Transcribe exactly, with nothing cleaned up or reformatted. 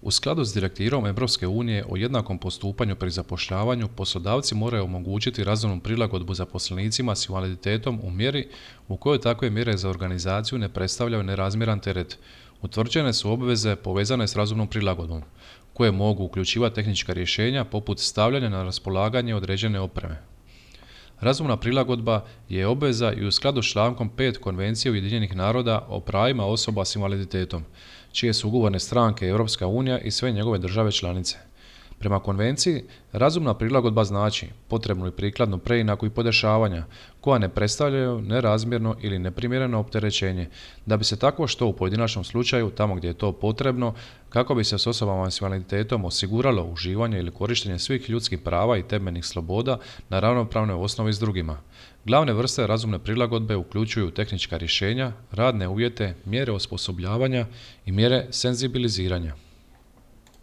U skladu s direktivom Europske unije o jednakom postupanju pri zapošljavanju, poslodavci moraju omogućiti razumnu prilagodbu zaposlenicima s invaliditetom u mjeri u kojoj takve mjere za organizaciju ne predstavljaju nerazmjeran teret. Utvrđene su obveze povezane s razumnom prilagodbom, koje mogu uključivati tehnička rješenja poput stavljanja na raspolaganje određene opreme. Razumna prilagodba je obveza i u skladu s člankom pet Konvencije Ujedinjenih naroda o pravima osoba s invaliditetom, čije su ugovorne stranke Europska unija i sve njegove države članice. Prema konvenciji, razumna prilagodba znači potrebnu i prikladnu preinaku i podešavanja, koja ne predstavljaju nerazmjerno ili neprimjereno opterećenje, da bi se takvo što u pojedinačnom slučaju, tamo gdje je to potrebno, kako bi se s osobama s invaliditetom osiguralo uživanje ili korištenje svih ljudskih prava i temeljnih sloboda na ravnopravnoj osnovi s drugima. Glavne vrste razumne prilagodbe uključuju tehnička rješenja, radne uvjete, mjere osposobljavanja i mjere senzibiliziranja.